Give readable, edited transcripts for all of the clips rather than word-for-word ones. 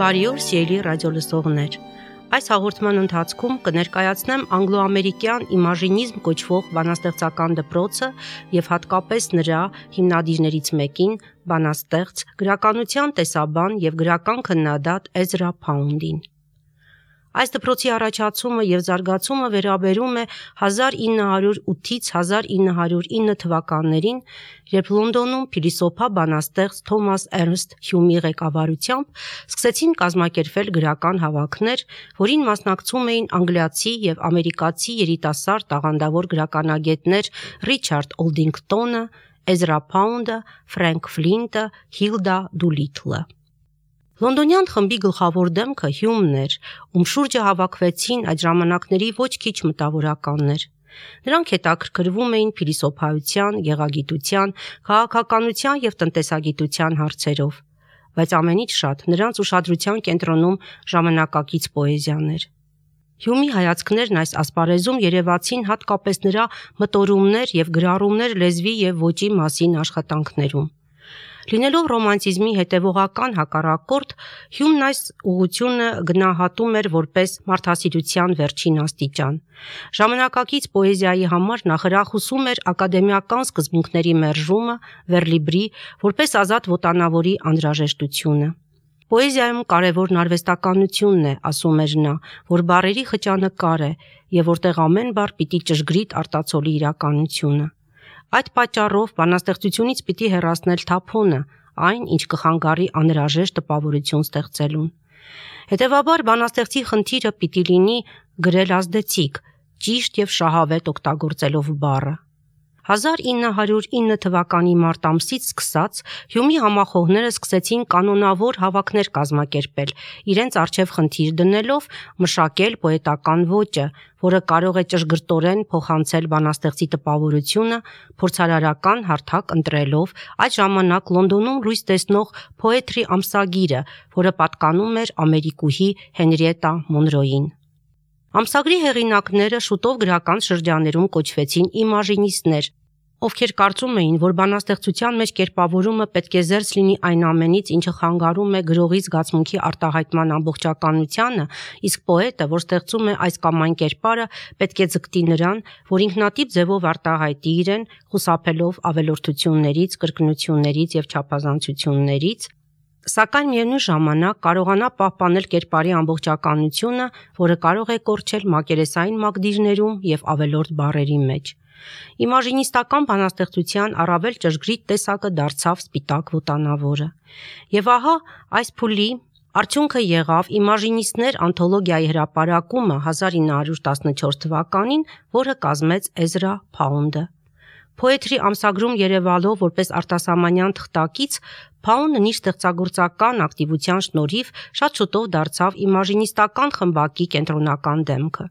Բարի օր, սիրելի ռադիոլսողներ։ Այս հաղորդման ընթացքում կներկայացնեմ անգլո-ամերիկյան իմաժինիզմ կոչվող բանաստեղծական դպրոցը եւ հատկապես նրա հիմնադիրներից մեկին, բանաստեղծ, գրականության տեսաբան եւ գրական քննադատ Էզրա Փաունդին։ Այս դպրոցի առաջացումը եւ զարգացումը վերաբերում է 1908-ից 1909 թվականներին, երբ Լոնդոնում փիլիսոփա բանաստեղծ Թոմաս Էրնստ Հյումի ղեկավարությամբ սկսեցին կազմակերպվել գրական հավաքներ, որին մասնակցում էին անգլիացի եւ ամերիկացի երիտասարդ տաղանդավոր գրականագետներ Ռիչարդ Օլդինգտոնը, Էզրա Փաունդը, Ֆրենք Ֆլինտը, Հիլդա Դուլիթլը։ Լոնդոնյան խմբի գլխավոր դեմքը Հյումն էր, ում շուրջը հավաքվեցին այդ ժամանակների ոչ քիչ մտավորականներ։ Նրանք հետաքրքրվում էին փիլիսոփայության, գեղագիտության, քաղաքականության եւ տնտեսագիտության հարցերով, բայց ամենից շատ նրանց ուշադրության կենտրոնում ժամանակակից պոեզիան էր։ Հյումի հայացքներն այս ասպարեզում երևացին հատկապես նրա մտորումներ եւ գրառումներ լեզվի եւ ոճի մասին աշխատանքներում։ Լինելով ռոմանտիզմի հետևողական հակառակորդ, Հյումն այս ուղղությունը գնահատում էր որպես մարդասիրության վերջին աստիճան։ Ժամանակակից պոեզիայի համար նախրախուսում էր ակադեմիական սկզբունքների մերժումը, վերլիբրի, որպես ազատ ոտանավորի անհրաժեշտությունը։ Պոեզիայում կարևորն արվեստականությունն է, ասում էր նա, որ բառերի խճանկար է եւ որտեղ ամեն բառ պիտի ճշգրիտ արտացոլի իրականությունը։ Այդ պատճառով բանաստեղծությունից պիտի հեռացնել թափոնը, այն, ինչ կխանգարի անհրաժեշտ տպավորություն ստեղծելուն։ Հետևաբար բանաստեղծի խնդիրը պիտի լինի գրել ազդեցիկ, ճիշտ եւ շահավետ օգտագործելով բառը։ 1909 թվականի մարտ ամսից սկսած Հյումի համախոհները սկսեցին կանոնավոր հավաքներ կազմակերպել, իրենց առջև խնդիր դնելով մշակել պոետական ոճը, որը կարող է ճշգրտորեն փոխանցել բանաստեղծի տպավորությունը, փորձարարական հարթակ ընտրելով այդ ժամանակ Լոնդոնում լույս տեսնող Poetry ամսագիրը, որը պատկանում էր ամերիկուհի Հենրիետա Մոնրոյին։ Ամսագրի հեղինակները շուտով գրական շրջաներում կոչվեցին իմաժինիստներ, ովքեր կարծում էին, որ բանաստեղծության մեջ կերպավորումը պետք է զերծ լինի այն ամենից, ինչը խանգարում է գրողի զգացմունքի արտահայտման ամբողջականությանը, իսկ պոետը, որ ստեղծում է այս կամ այն կերպարը, պետք է ձգտի նրան, որ ինքնատիպ ձևով արտահայտի իրեն, խուսափելով ավելորդություններից, կրկնություններից եւ չափազանցություններից, սակայն միևնույն ժամանակ կարողանա պահպանել կերպարի ամբողջականությունը, որը կարող է կորչել մակերեսային մակդիրներում եւ ավելորդ բառերի մեջ։ Իմաժինիստական բանաստեղծության առավել ճշգրիտ տեսակը դարձավ սպիտակ ոտանավորը։ Եվ ահա այս փուլի արդյունքը եղավ իմաժինիստներ անթոլոգիայի հրապարակումը 1914 թվականին, որը կազմեց Էզրա Փաունդը։ Poetry ամսագրում երևալով որպես արտասահմանյան թղթակից, Փաունդն իր ստեղծագործական ակտիվության շնորհիվ շատ շուտով դարձավ իմաժինիստական խմբակի կենտրոնական դեմքը։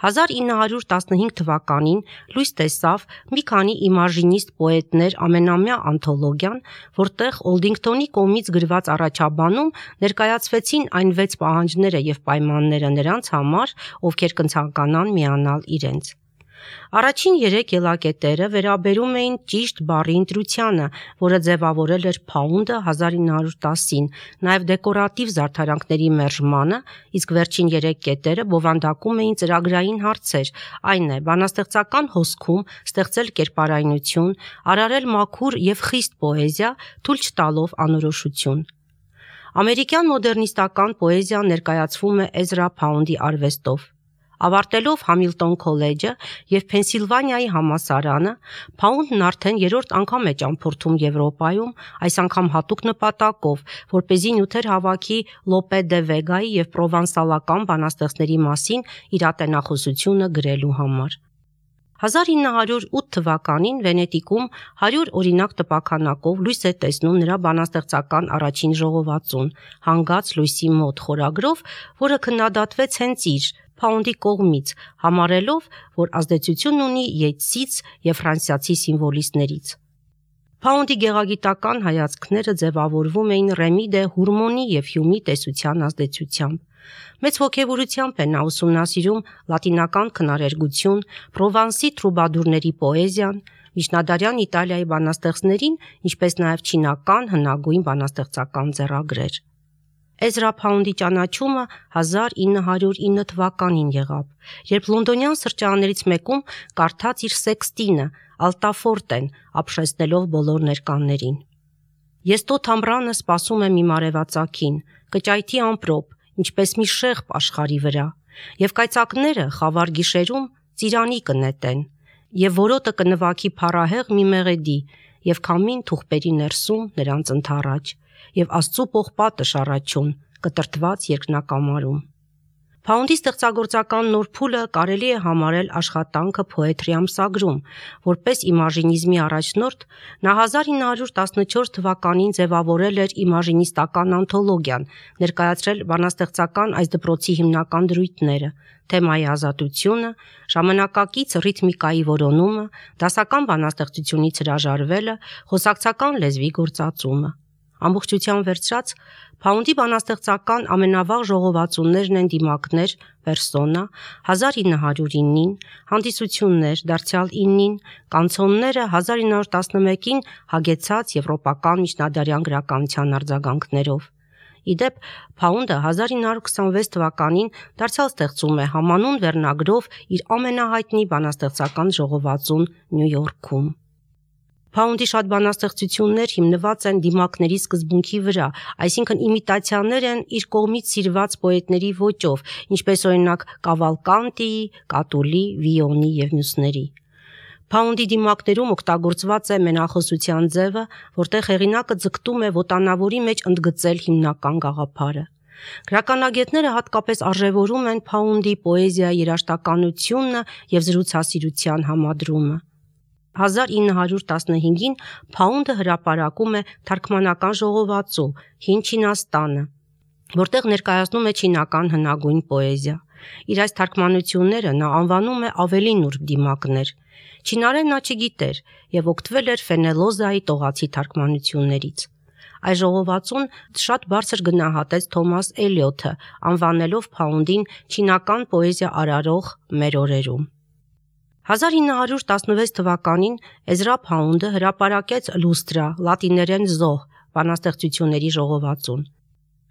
1915 թվականին լույս տեսավ մի քանի իմաժինիստ պոետներ ամենամյա անթոլոգիան, որտեղ Օլդինգտոնի կողմից գրված առաջաբանում ներկայացվեցին այն 6 պահանջները եւ պայմանները նրանց համար, ովքեր կցանկանան միանալ իրենց։ Առաջին 3 ելակետերը վերաբերում էին ճիշտ բառի ընտրությանը, որը ձևավորել էր Փաունդը 1910-ին, նաև դեկորատիվ զարդարանքների մերժմանը, իսկ վերջին 3 կետերը բովանդակում էին ծրագրային հարցեր, այն է, բանաստեղծական հոսքում ստեղծել կերպարայնություն, արարել մաքուր եւ խիստ պոեզիա, թույլ չտալով անորոշություն։ Ամերիկյան մոդեռնիստական պոեզիան ներկայացվում է Էզրա Փաունդի արվեստով։ Ավարտելով Համիլտոն քոլեջը եւ Փենսիլվանիայի համալսարանը, Փաունդն արդեն 3-րդ անգամ է ճամփորդում Եվրոպայում, այս անգամ հատուկ նպատակով, որպեսզի նյութեր հավաքի Լոպե դե Վեգայի եւ պրովանսալական բանաստեղծների մասին իր ատենախոսությունը գրելու համար։ 1908 թվականին Վենետիկում 100 օրինակ տպաքանակով լույս է տեսնում նրա բանաստեղծական առաջին ժողովածուն, «Հանգած լույսի մոտ» խորագրով, որը քննադատվեց հենց իր Փաունդի կողմից, համարելով, որ ազդեցություն ունի Յեյթսից եւ ֆրանսիացի սիմվոլիստներից։ Փաունդի գեղագիտական հայացքները ձևավորվում էին Ռեմի դե Հուրմոնի եւ Հյումի տեսության ազդեցությամբ։ Մեծ ոգևորությամբ է նա ուսումնասիրում լատինական քնարերգություն, Պրովանսի տրուբադուրների պոեզիան, միջնադարյան Իտալիայի բանաստեղծներին, ինչպես նաև չինական հնագույն բանաստեղծական ձեռագրեր։ Էզրա Փաունդի ճանաչումը 1909 թվականին եղավ, երբ լոնդոնյան սրճարաններից մեկում կարդաց իր սեքստինը Ալտաֆորտեն, ապշեցնելով բոլոր ներկաներին։ Ես տոթ ամռանը սպասում եմ իմ արևածագին, կճայթի ամպրոպ, ինչպես մի շեղբ աշխարհի վրա, եւ կայծակները խավար գիշերում ծիրանի կնետեն, եւ որոտը կնվագի փառահեղ մի մեղեդի, եւ քամին թուղպերի ներսում նրանց ընթառաջ, եւ Աստծու պողպատը շառաչուն, կտրտված երկնակամարում։ Փաունդի ստեղծագործական նոր փուլը կարելի է համարել աշխատանքը Poetry ամսագրում, որպես իմաժինիզմի առաջնորդ նա 1914 թվականին ձևավորել էր իմաժինիստական անթոլոգիան, ներկայացրել բանաստեղծական այս դպրոցի հիմնական դրույթները՝ թեմայի ազատությունը, ժամանակակից ռիթմիկայի որոնումը, դասական բանաստեղծությունից հրաժարվելը, խոսակցական լեզվի գործածումը։ Ամբողջությամբ վերցրած, Փաունդի բանաստեղծական ամենավաղ ժողովածուներն են դիմակներ, պերսոնա, 1909-ին, հանդիսություններ, դարձյալ 9-ին, կանցոնները 1911-ին հագեցած եվրոպական միջնադարյան գրականության արձագանքներով։ Իդեպ, Փաունդը 1926 թվականին դարձյալ ստեղծում է համանուն վերնագրով իր ամենահայտնի բանաստեղծական ժողովածուն Նյու Յորքում։ Փաունդի շատ բանաստեղծություններ հիմնված են դիմակների սկզբունքի վրա, այսինքն իմիտացիաներ են իր կողմից սիրված պոետների ոճով, ինչպես օրինակ Կավալկանտիի, Կատուլի, Վիոնի եւ մյուսների։ Փաունդի դիմակներում օգտագործված է մենախոսության ձևը, որտեղ հեղինակը ձգտում է ոտանավորի մեջ ընդգծել հիմնական գաղափարը։ Գրականագետները հատկապես արժևորում են Փաունդի պոեզիայի երաժշտականությունը եւ զրուցասիրության համադրումը։ 1915-ին Փաունդը հրապարակում է թարգմանական ժողովածու «Հին Չինաստանը», որտեղ ներկայացնում է չինական հնագույն պոեզիա։ Իր այս թարգմանությունները նա անվանում է ավելի նուրբ դիմակներ։ Չինարեն նա չգիտեր եւ օգտվել էր Ֆենելոզայի տողացի թարգմանություններից։ Այս ժողովածուն շատ բարձր գնահատեց Թոմաս Էլիոթը, անվանելով Փաունդին չինական պոեզիա արարող մեր օրերում։ 1916 թվականին Էզրա Փաունդը հրապարակեց «Լուստրա» լատիներեն զոհ բանաստեղծությունների ժողովածուն։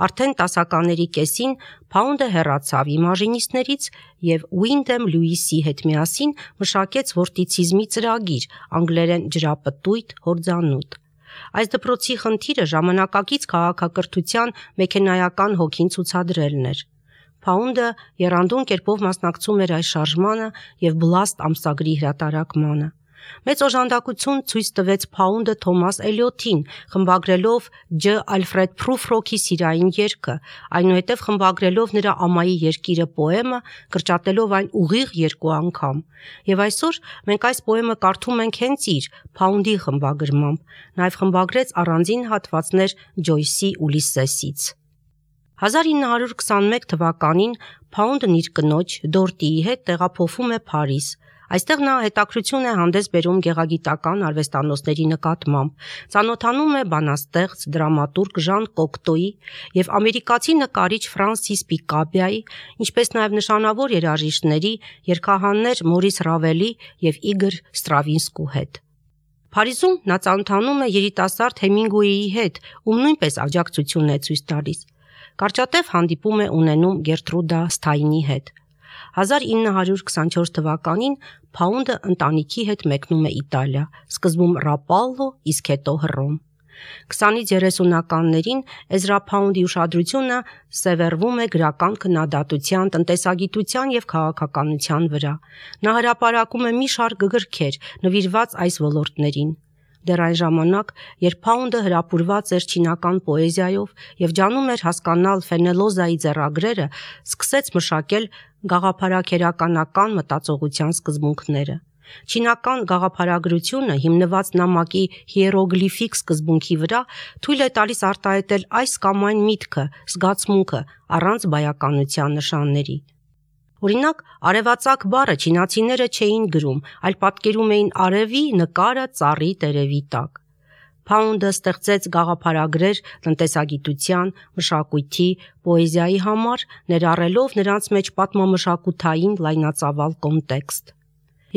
Արդեն տասականների կեսին Փաունդը հեռացավ իմաժինիստներից եւ Ուինդեմ Լյուիսի հետ միասին մշակեց վորտիցիզմի ծրագիր, անգլերեն ջրապտույտ հորձանուտ։ Այս դպրոցի խնդիրը ժամանակակից քաղաքակրթության մեքենայական հոգին ցուցադրելն էր։ Փաունդը եռանդուն կերպով մասնակցում էր այս շարժմանը եւ Բլաստ ամսագրի հրատարակմանը։ Մեծ օժանդակություն ցույց տվեց Փաունդը Թոմաս Էլիոթին, խմբագրելով Ջ. Ալֆրեդ Փրուֆրոքի սիրային երգը, այնուհետև խմբագրելով նրա Ամայի երկիրը պոեմը, կրճատելով այն ուղիղ 2 անգամ։ Եվ այսօր մենք այս պոեմը կարդում ենք հենց իր Փաունդի խմբագրմամբ, նաև խմբագրեց առանձին հատվածներ Ջոյսի Ուլիսեսից։ 1921 թվականին Փաունդն իր կնոջ Դորտիի հետ տեղափոխվում է Փարիզ։ Այստեղ նա հետաքրություն է հանդես բերում գեղագիտական արվեստանոցների նկատմամբ, ծանոթանում է բանաստեղծ, դրամատուրգ Ժան Կոկտոյի եւ ամերիկացի նկարիչ Ֆրանսիս Պիկաբիայի, ինչպես նաեւ նշանավոր երաժիշտների, երգահաններ Մորիս Ռավելի եւ Իգոր Ստրավինսկու հետ։ Փարիզում նա ծանոթանում է երիտասարդ Հեմինգուեյի հետ, ում նույնպես աջակցություն է ցույց տալիս։ Կարճատև հանդիպում է ունենում Գերտրուդա Սթայնի հետ։ 1924 թվականին Փաունդը ընտանիքի հետ մեկնում է Իտալիա, սկզբում Ռապալլո, իսկ հետո Հռոմ։ 20-ից 30-ականներին Էզրա Փաունդի ուշադրությունը սևեռվում է գրական քննադատության, տնտեսագիտության եւ քաղաքականության վրա։ Նա հրապարակում է մի շարք գրքեր, նվիրված այս ոլորտներին։ Դեռ այն ժամանակ, երբ Փաունդը հրապուրված էր չինական պոեզիայով եւ ջանում էր հասկանալ Ֆենելոզայի ձեռագրերը, սկսեց մշակել գաղափարաքերականական մտածողության սկզբունքները։ Չինական գաղափարագրությունը, հիմնված նամակի հիերոգլիֆիկ սկզբունքի վրա, թույլ է տալիս արտահայտել այս կամ այն միտքը, զգացմունքը առանց բայականության նշանների։ Օրինակ, արևածագ բառը չինացիները չէին գրում, այլ պատկերում էին արևի նկարը ծառի տերևի տակ։ Փաունդը ստեղծեց գաղափարագրեր տնտեսագիտության, մշակույթի, պոեզիայի համար, ներառելով նրանց մեջ պատմամշակութային լայնածավալ կոնտեքստ։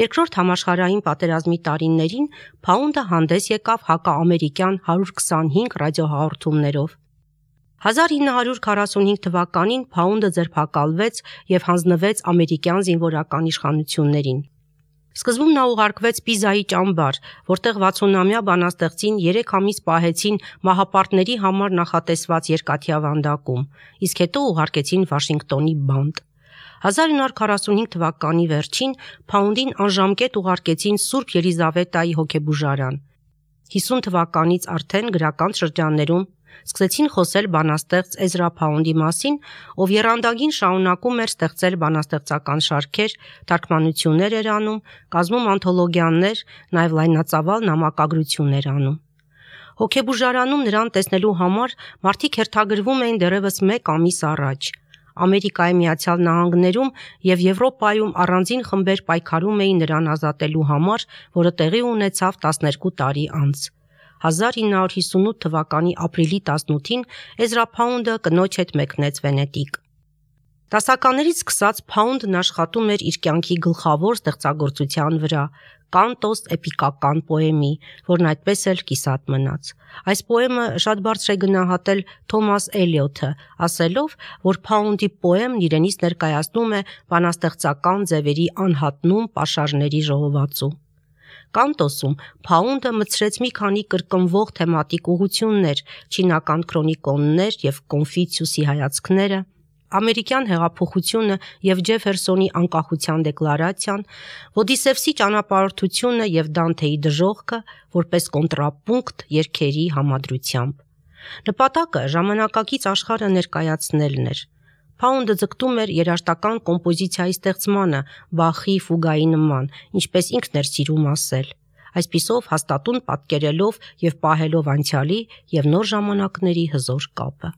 Երկրորդ համաշխարհային պատերազմի տարիներին Փաունդը հանդես եկավ հակաամերիկյան 125 ռադիոհաղորդումներով։ 1945 թվականին փաունդը ձերբակալվեց եւ հանձնվեց ամերիկյան զինվորական իշխանություններին։ Սկզբում նա ուղարկվեց Պիզայի ճամբար, որտեղ 60-ամյա բանաստեղծին 3 ամիս պահեցին մահապարտների համար նախատեսված երկաթյա վանդակում, իսկ հետո ուղարկեցին Վաշինգտոնի բանտ։ 1945 թվականի վերջին փաունդին անժամկետ ուղարկեցին Սուրբ Ելիզավետայի հոգեբուժարան։ 50 թվականից արդեն գրական շրջաններում սկսեցին խոսել բանաստեղծ Էզրա Փաունդի մասին, ով եռանդագին շարունակում էր ստեղծել բանաստեղծական շարքեր, թարգմանություններ էր անում, կազմում անթոլոգիաներ, նաև լայնածավալ նամակագրություն էր անում։ Հոգեբուժարանում նրան տեսնելու համար մարդիկ հերթագրվում էին դեռևս 1 ամիս առաջ։ Ամերիկայի Միացյալ Նահանգներում և Եվրոպայում առանձին խմբեր պայքարում էին նրան ազատելու համար, որը տեղի ունեցավ 12 տարի անց։ 1958 թվականի ապրիլի 18-ին Էզրա Փաունդը կնոջ հետ մեկնեց Վենետիկ։ Դասականներից սկսած Փաունդն աշխատում էր իր կյանքի գլխավոր ստեղծագործության վրա՝ Կանտոս էպիկական պոեմի, որն այդպես էլ կիսատ մնաց։ Այս պոեմը շատ բարձր է գնահատել Թոմաս Էլիոթը, ասելով, որ Փաունդի պոեմն իրենից ներկայացնում է բանաստեղծական ձևերի անհատնում պաշարների ժողովածու։ Կանտոսում Փաունդը մտցրեց մի քանի կրկնվող թեմատիկ ուղղություններ՝ չինական քրոնիկոններ և Կոնֆուցիուսի հայացքները, ամերիկյան հեղափոխությունը և Ջեֆերսոնի անկախության դեկլարացիան, Ոդիսևսի ճանապարհորդությունը և Դանթեի դժոխքը որպես կոնտրապունկտ երգերի համադրությամբ։ Նպատակը ժամանակակից աշխարհը ներկայացնելն էր։ Փաունդը ձգտում էր երաժշտական կոմպոզիցիայի ստեղծմանը Բախի ֆուգայի նման, ինչպես ինքն էր սիրում ասել, այսպիսով հաստատուն պատկերելով և պահելով անցյալի և նոր ժամանակների հզոր կապը։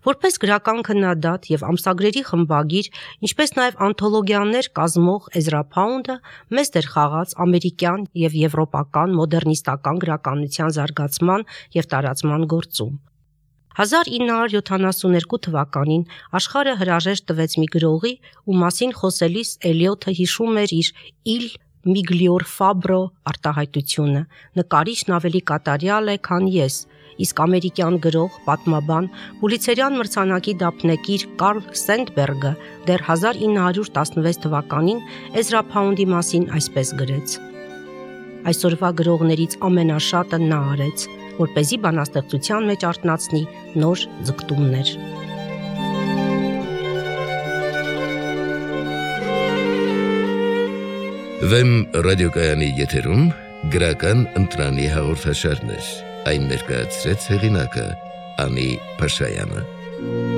Որպես գրական քննադատ և ամսագրերի խմբագիր, ինչպես նաև անթոլոգիաներ կազմող Էզրա Փաունդը մեծ դեր խաղաց ամերիկյան և եվրոպական մոդեռնիստական գրականության զարգացման և տարածման գործում։ 1972 թվականին աշխարհը հրաժեշտ տվեց մի գրողի, ում մասին խոսելիս Էլիոթը հիշում էր իր «Il miglior fabbro» արտահայտությունը. նկարիչն ավելի կատարյալ է, քան ես, իսկ ամերիկյան գրող, պատմաբան, Պուլիցերյան մրցանակի դափնեկիր Կարլ Սենդբերգը դեռ 1916 թվականին Էզրա Փաունդի մասին այսպես գրեց. «Այսօրվա գրողներից ամենաշատը նա արեց, որպեսզի բանաստեղծության մեջ արթնացնի նոր ձգտումներ»։ Վեմ ռադիոկայանի եթերում գրական ընտրանի հաղորդաշարներ, այն ներկայացրեց հեղինակը Անի Փաշայանը։